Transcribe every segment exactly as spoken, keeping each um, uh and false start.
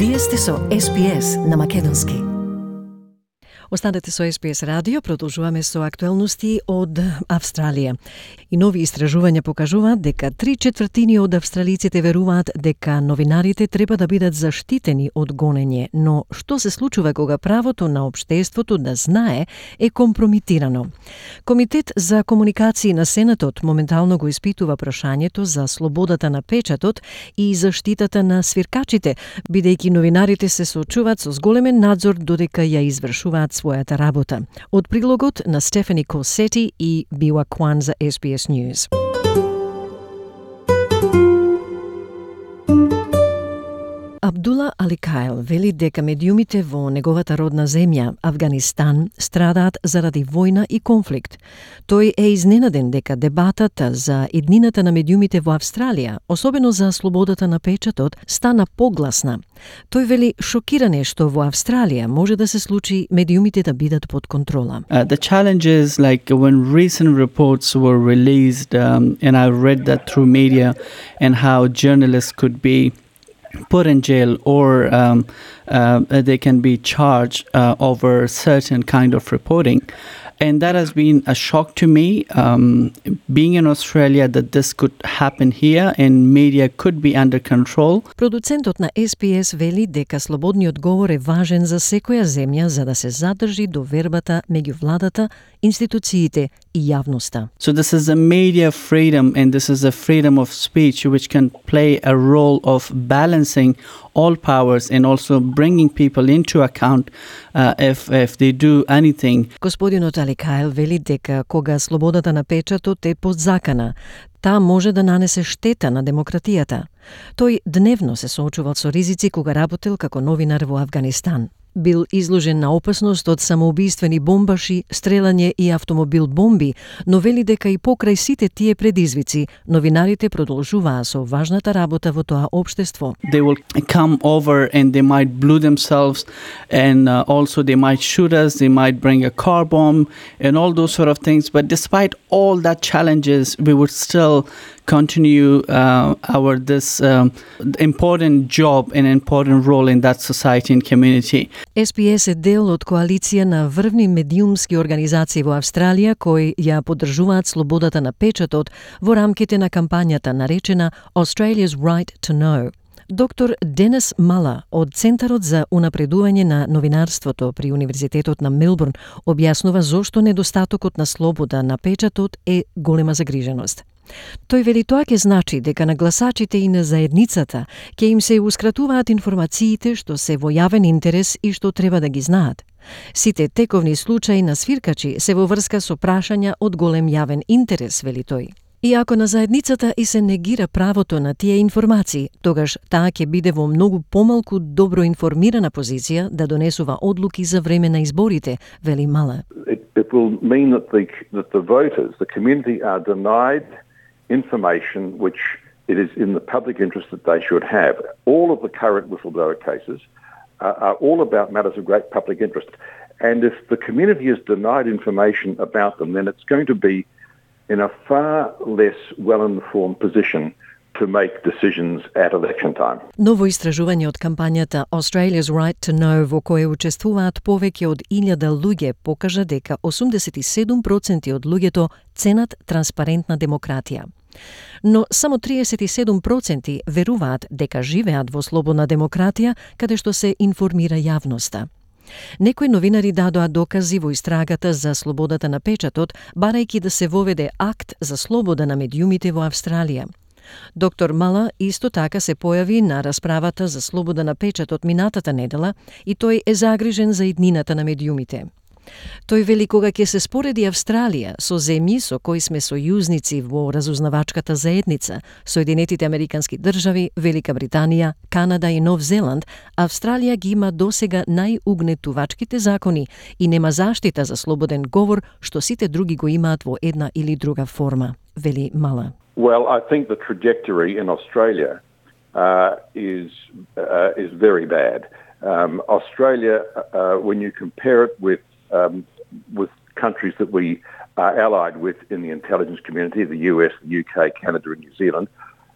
Вие сте со Ес Би Ес на македонски. Останете со Ес Би Ес радио, продолжуваме со актуелности од Австралија. И нови истражувања покажуваат дека три четвртини од австралиците веруваат дека новинарите треба да бидат заштитени од гонење, но што се случува кога правото на општеството да знае е компрометирано? Комитет за комуникации на Сенатот моментално го испитува прашањето за слободата на печатот и заштитата на свиркачите, бидејќи новинарите се соочуваат со зголемен надзор додека ја извршуваат својата работа. Од прилогот на Стефани Косети и Бива Кван за Ес Би Ес News. Абдула Аликайл вели дека медиумите во неговата родна земја, Авганистан, страдаат заради војна и конфликт. Тој е изненаден дека дебатата за иднината на медиумите во Австралија, особено за слободата на печатот, стана погласна. Тој вели шокиране што во Австралија може да се случи медиумите да бидат под контрола. Uh, the challenge is like when recent reports were released, um, and I read that through media, and how journalists could be put in jail or um, uh, they can be charged uh, over certain kind of reporting. And that has been a shock to me, um, being in Australia, that this could happen here and media could be under control. Продуцентот на Ес Би Ес вели дека слободниот говор е важен за секоја земја за да се задржи довербата меѓу владата, институциите и јавноста. So this is a media freedom, and this is a freedom of speech which can play a role of balancing all powers and also bringing people into account uh, if if they do anything. Господинот Аликайл вели дека кога слободата на печатот е подзакана, таа може да нанесе штета на демократијата. Тој дневно се соочувал со ризици кога работел како новинар во Авганистан. Бил изложен на опасност од самоубиствени бомбаши, стрелање и автомобил бомби, но вели дека и покрај сите тие предизвици, новинарите продолжуваа со важната работа во тоа општество. They will come over and they might blow themselves, and uh, also they might shoot us, they might bring a car bomb and all those sort of things. But despite all that challenges, we would still continue uh, our this um, important job and important role in that society and community. Ес Би Ес е дел од коалиција на врвни медиумски организации во Австралија кои ја поддржуваат слободата на печатот во рамките на кампањата наречена Australia's Right to Know. Доктор Денис Мала од Центарот за унапредување на новинарството при Универзитетот на Мелбурн објаснува зошто недостатокот на слобода на печатот е голема загриженост. Тој вели тоа ќе значи дека на гласачите и на заедницата ќе им се ускратуваат информациите што се во јавен интерес и што треба да ги знаат. Сите тековни случаи на свиркачи се во врска со прашања од голем јавен интерес, вели тој. И ако на заедницата и се негира правото на тие информации, тогаш таа ќе биде во многу помалку добро информирана позиција да донесува одлуки за време на изборите, вели Мала. It, it will mean that the, that the voters, the community are denied information which it is in the public interest that they should have. All of the current whistleblower cases uh, are all about matters of great public interest. And if the community is denied information about them, then it's going to be in a far less well-informed position to make decisions at election time. Ново истражување од кампањата Australia's Right to Know, во кое учествуваат повеќе од илјада луѓе, покажа дека осумдесет и седум проценти од луѓето ценат транспарентна демократија. Но само триесет и седум проценти веруваат дека живеат во слободна демократија, каде што се информира јавноста. Некои новинари дадоа докази во истрагата за слободата на печатот, барајќи да се воведе акт за слобода на медиумите во Австралија. Доктор Мала исто така се појави на расправата за слобода на печатот минатата недела и тој е загрижен за иднината на медиумите. Тој вели кога ќе се спореди Австралија со земји со кои сме сојузници во разузнавачката заедница, Соединетите Американски држави, Велика Британија, Канада и Нов Зеланд, Австралија ги има досега најугнетувачките закони и нема заштита за слободен говор што сите други го имаат во една или друга форма, вели Мала. Well, I think the trajectory in Australia uh, is uh, is very bad. Um, Australia, uh, when you compare it with um, with countries that we are allied with in the intelligence community, the U S, the U K, Canada, and New Zealand,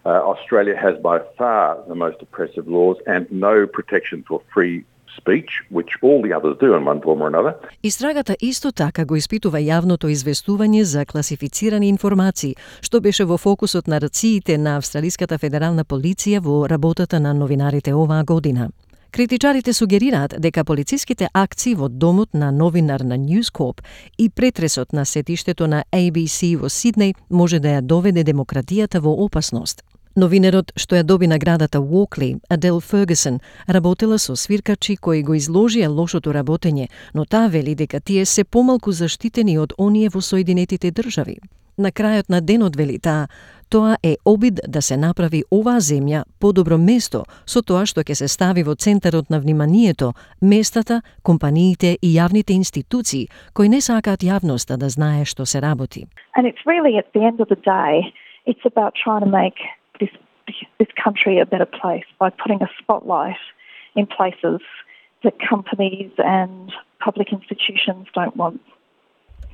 Uh, Australia has by far the most oppressive laws and no protection for free speech, which all the others do in one form or another. Истрагата исто така го испитува јавното известување за класифицирани информации, што беше во фокусот на рациите на Австралиската федерална полиција во работата на новинарите оваа година. Критичарите сугерираат дека полициските акции во домот на новинар на News Corp и претресот на сетиштето на A B C во Сиднеј може да ја доведе демократијата во опасност. Новинерот што ја доби наградата Walkley, Adele Ferguson, работела со свиркачи кои го изложија лошото работење, но таа вели дека тие се помалку заштитени од оние во Соединетите држави. На крајот на денот, вели таа, тоа е обид да се направи оваа земја подобро место со тоа што ќе се стави во центарот на вниманието местата, компаниите и јавните институции кои не сакаат јавноста да знае што се работи. And it's really at the end of the day, it's about trying to make this this country a better place by putting a spotlight in places that companies and public institutions don't want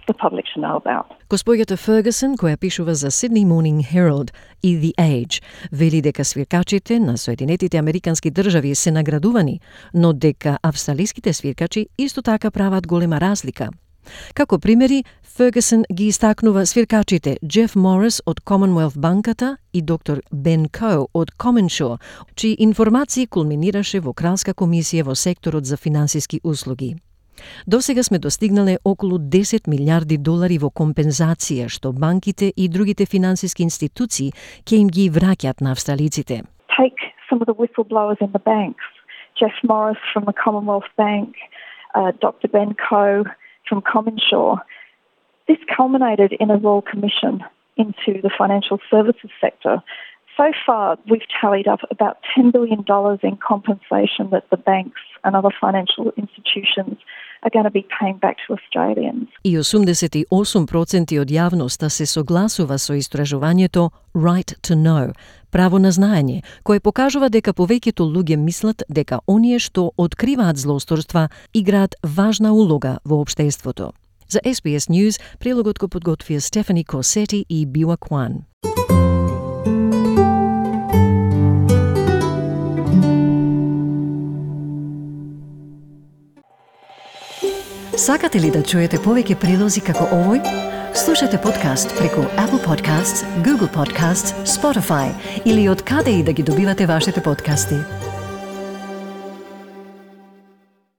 the public to know about. Госпоѓата Фергусон, која пишува за Sydney Morning Herald и The Age, вели дека свиркачите на Соединетите Американски држави се наградувани, но дека австралиските свиркачи исто така прават голема разлика. Како примери, Фергусон ги истакнува свиркачите Джеф Морис од Commonwealth банката и доктор Бен Коу од Comensure, чии информации кулминираше во Кралска комисија во секторот за финансиски услуги. До сега сме достигнале околу десет милиарди долари во компензација што банките и другите финансиски институции ќе им ги враќаат на австралиците. Take some of the whistleblowers in the banks, Jeff Morris from the Commonwealth Bank, uh, Doctor Ben Coe from Comensure. This culminated in a Royal Commission into the financial services sector. So far, we've tallied up about ten billion dollars in compensation that the banks and other financial institutions are going to be paying back to Australians. И осумдесет и осум проценти од јавноста се согласува со истражувањето Right to Know, право на знаење, кое покажува дека повеќето луѓе мислат дека оние што откриваат злосторства играат важна улога во општеството. За S B S News, прилогот го подготвија Стефани Косети и Биуа Кван. Сакате ли да чуете повеќе прилози како овој? Слушате подкаст преку Apple Podcasts, Google Podcasts, Spotify или од каде и да ги добивате вашите подкасти.